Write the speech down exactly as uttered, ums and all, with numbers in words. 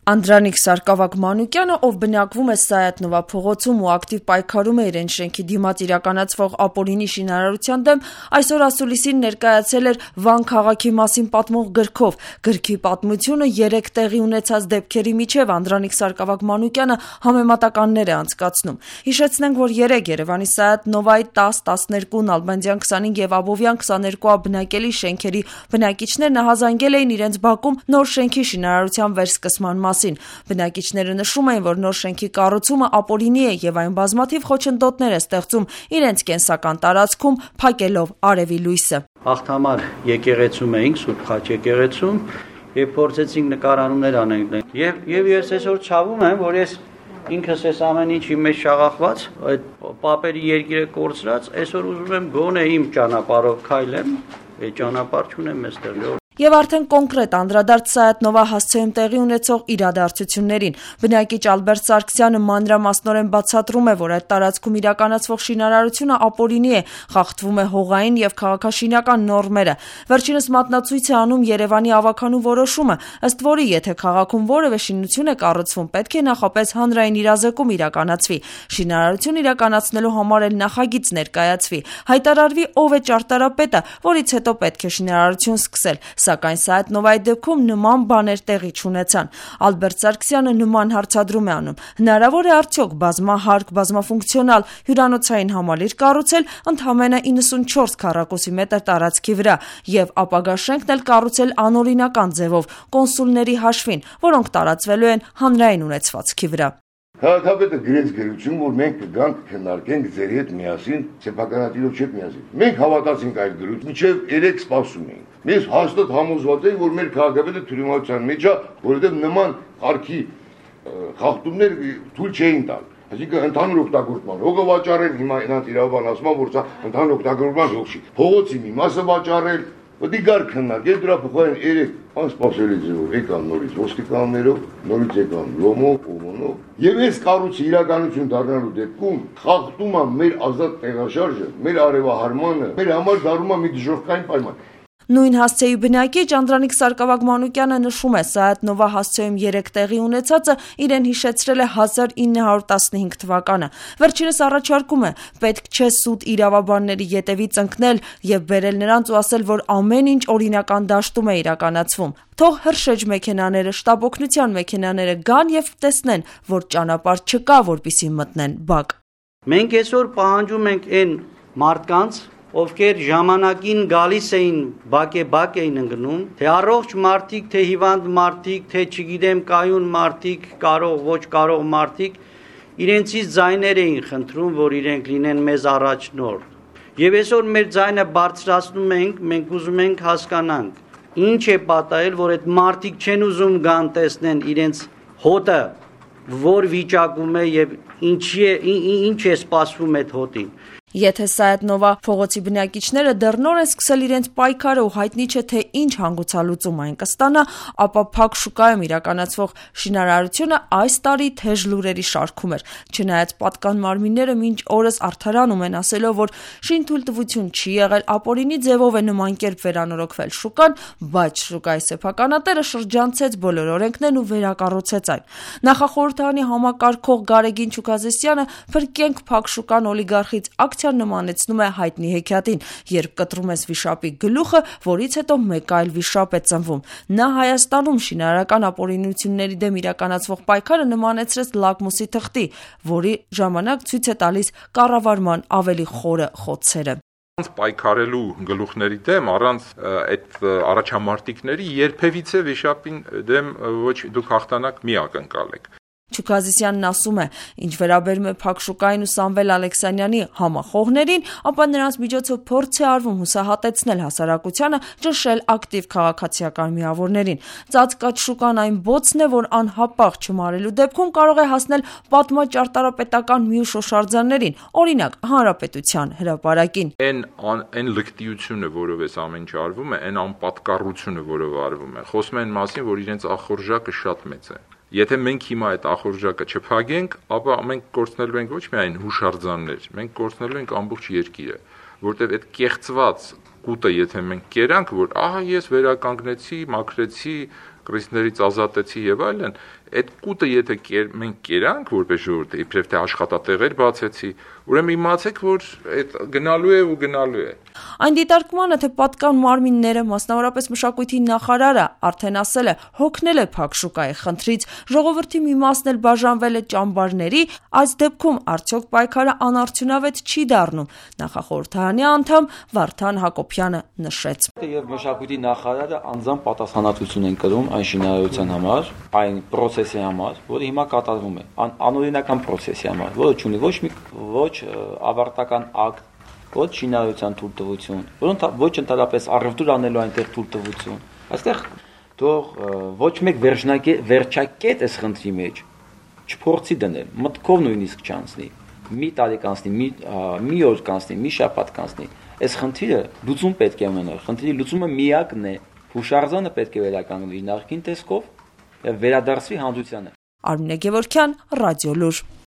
Անդրանիկ Սարգսակ-Մանուկյանը, ով բնակվում է Սայաթ-Նովա փողոցում ու ակտիվ պայքարում է իրեն շենքի դիմաց իրականացվող ապօրինի շինարարության դեմ, այսօր ասուլիսին ներկայացել էր Վան քաղաքի մասին պատմող գրքով։ Գրքի պատմությունը երեք տեղի ունեցած դեպքերի միջև Անդրանիկ Սարգսակ-Մանուկյանը համեմատականներ է անցկացնում։ Հիշեցնենք, որ երեկ Երևանի Սայաթ-Նովայի տաս, տասներկու, Նալբանդյան քսանհինգ եւ Աբովյան քսաներկու բնակելի շենքերի բնակիչներն հազանգել էին իրենց բակում նոր շենքի շինարարության վերսկսման մասին։ Բնակիչները նշում էին, որ նոր շենքի կառուցումը ապօրինի է եւ այն բազմաթիվ խոչընդոտներ է ստեղծում իրենց կենսական տարածքում, փակելով արևի լույսը։ Հաղթամար եկեղեցում էինք, Սուրբ Խաչ եկեղեցում, եւ փորձեցինք նկարանումներ անենք։ Եվ եւ ես այսօր ցավում եմ, որ ես ինքս ես ամեն ինչի մեջ շաղախված, այդ պապերի երկիրը կորցրած, այսօր ուզում եմ գոնե իմ ճանապարհով քայլեմ, այդ ճանապարհ չունեմ այստեղ։ Եվ արդեն կոնկրետ անդրադարձ Սայաթ-Նովա հասցեում տեղի ունեցող իրադարձություններին։ Բնակիչ Ալբերտ Սարգսյանը մանրամասնորեն բացատրում է, որ այդ տարածքում իրականացվող շինարարությունը ապօրինի է, խախտվում է հողային եւ քաղաքաշինական նորմերը։ Վերջինս մատնացույց է անում Երևանի ավականու որոշումը, ըստ որի եթե քաղաքում որևէ շինություն է կառուցվում, պետք է նախապես հանրային իրազեկում իրականացվի։ Շինարարություն իրականացնելու համար էլ նախագիծ ներկայացվի, հայտարարվի ով է ճարտարապետը, որից հետո պետք է շինարարություն սկսել։ Սակայն Սայաթ-Նովայի դեպքում նման բաներ տեղի չունեցան։ Ալբերտ Սարգսյանը նման հարցադրում է անում. հնարավոր է արդյոք բազմահարկ, բազմաֆունկցիոնալ հյուրանոցային համալիր կառուցել ընդամենը իննսունչորս քառակուսի մետր տարածքի վրա եւ ապագա շենքն էլ կառուցել անօրինական ձևով, կոնսուլների հաշվին, որոնք տարածվելու են հանրային ունեցվածքի վրա։ Քաղաքապետը գրեց գրություն, որ մենք կգանք քննարկենք ձեր հետ միասին, սեփականատիրով չէ միասին։ Մենք հավատացինք այդ գրություն, մինչև երեք սպասում էինք։ Մենք հաստատ համոզված ենք, որ մեր քաղաքապետը թյուրիմացիան մեջ է, որովհետև նման արքի խախտումներ թույլ չէին տալ։ Այսինքն ընդհանուր օգտագործման հողը վաճառել, հիմա նրանց իրավաբան ասում է, որ սա ընդհանուր օգտագործման հող չի։ Փողոցի մի մասը վաճառել, Դի գար քննարկել դրա փոխարեն երեք անսպասելի ձևով եկան նորից ոստիկաններով, նորից եկան լոմով, օմոնով։ Եվ այս կառույցի իրականություն դառնալու դեպքում խախտում է մեր ազատ տեղաշարժը, մեր արևահարմանը, մեր համար դառնում է մի դժոխքային պայման։ Նույն հասցեի բնակիչ Անդրանիկ Սարգսակ-Մանուկյանը նշում է, Սայաթ-Նովա հասցեում երեք տեղի ունեցածը իրեն հիշեցրել է հազար ինը հարյուր տասնհինգ թվականը։ Վերջինս առաջարկում է, պետք չէ սուտ իրավաբանների ետևից ընկնել եւ բերել նրանց ու ասել, որ ամեն ինչ օրինական դաշտում է իրականացվում։ Թող հրշեջ մեքենաները, շտաբ օգնության մեքենաները գան եւ տեսնեն, որ ճանապարհ չկա, որպեսզի մտնեն բակ։ Մենք այսօր պահանջում ենք այն մարդկանց, ովքեր ժամանակին գալիս էին բակ-է-բակ էին ընկնում, թե առողջ մարդիկ, թե հիվանդ մարդիկ, թե չգիտեմ կայուն մարդիկ, կարող, ոչ կարող մարդիկ, իրենցից ձայներ էին խնդրում, որ իրենք լինեն մեզ առաջնորդ։ Եվ այսօր մեր ձայնը բարձրացնում ենք, մենք ուզում ենք հասկանանք, ինչ է պատահել, որ այդ մարդիկ չեն ուզում գան տեսնեն իրենց հոտը, որ վիճակում է եւ ինչի է, ինչ է սպասվում այդ հոտին։ Եթե Սայաթ-Նովա փողոցի բնակիչները դեռ նոր են սկսել իրենց պայքարը ու հայտնի չէ թե ինչ հանգուցալուծում այն կստանա, ապա փակ շուկայում իրականացվող շինարարությունը այս տարի թեժ լուրերի շարքում էր։ Չնայած պատկան մարմինները մինչ օրս արդարանում են ասելով, որ շինթույլտվություն չի եղել, ապօրինի ձևով է նման կերպ վերանորոգվել շուկան, բայց շուկայի սեփականատերը շրջանցեց բոլոր օրենքներն ու վերակառուցեց այն։ Նախախորհրդարանի համակարգող Գարեգին Չուկազիսյանը «Փրկենք փակ շուկան» օլիգարխից ակցիա նմանեցնում է հայտնի հեքիաթին, երբ կտրում ես վիշապի գլուխը, որից հետո մեկ այլ վիշապ է ծնվում։ Նա Հայաստանում շինարարական ապօրինությունների դեմ իրականացվող պայքարը նմանեցրեց լակմուսի թղթի, որի ժամանակ ցույց է տալիս կառավարման ավելի խորը խոցերը։ Պայքարելու գլուխների դեմ առանց այդ առաջամարտիկների երբևիցե վիշապին դեմ ոչ դուք հաղթանակ մի ակնկալեք։ Չուկազիսյանն ասում է, ինչ վերաբերում է փակ շուկային ու Սամվել Ալեքսանյանի համախոհներին, ապա նրանց միջոցով փորձ է արվում հուսահատեցնել հասարակությանը, ճնշել ակտիվ քաղաքացիական միավորներին։ Ծածկած շուկան այն բոցն է, որ անհապաղ չմարելու դեպքում կարող է հասնել պատմաճարտարապետական մյուս շոշարձաններին, օրինակ Հանրապետության հրապարակին։ Այն այն լկտիությունը, որով էս ամեն ինչ արվում է, այն անպատկառությունը, որով արվում է, խոսում են մասին, որ իրենց ախորժակը շատ մեծ է։ Եթե մենք հիմա այդ ախորժակը չփակենք, ապա մենք կորցնելու ենք ոչ միայն հուշարձաններ, մենք կորցնելու ենք ամբողջ երկիրը, որտեղ այդ կեղծված կուտը, եթե մենք կերանք, որ ահա ես վերականգնեցի, մաքրեցի, կրիզներից ազատեցի եւ այլն, Այդ կուտը եթե կեր, մենք կերանք որպես ժողովուրդ, իբրև թե աշխատատեղեր բացեցի, ուրեմն իմացեք, որ այդ գնալու է ու գնալու է։ Այն դիտարկմանը, թե պատկան մարմինները, մասնավորապես մշակույթի նախարարը արդեն ասել է, հոգնել է փակ շուկայի խնդրից, ժողովրդի մի մասն էլ բաժանվել է ճամբարների, այս դեպքում արդյոք պայքարը անարդյունավետ չի դառնում, նախախորհրդարանի անդամ Վարդան Հակոբյանը նշեց։ Եվ մշակույթի նախարարը անձամբ պատասխանատվություն են կրում այն շինարարության համար, այն process-ի համար, որը հիմա կատարվում է, անօրինական process-ի համար, որը չունի ոչ մի ոչ ավարտական ակտ, ոչ շինարարության թույլտվություն, ոչ ընդհանրապես առևտուր անելու այնտեղ թույլտվություն։ Այստեղ թող ոչ մեկ վերջակետ էս խնդրի մեջ չփորձի դնել, մտքով նույնիսկ չանցնի, մի տարի կանցնի, մի մի օր կանցնի, մի շաբաթ կանցնի, այս խնդիրը լուծում պետք է ունենալ, խնդրի լուծումը միակն է, հուշարձանը պետք է վերականգնվի նախկին տեսքով եւ վերադարձվի հանդությանը։ Արմինե Գևորգյան, Ռադիոլուր։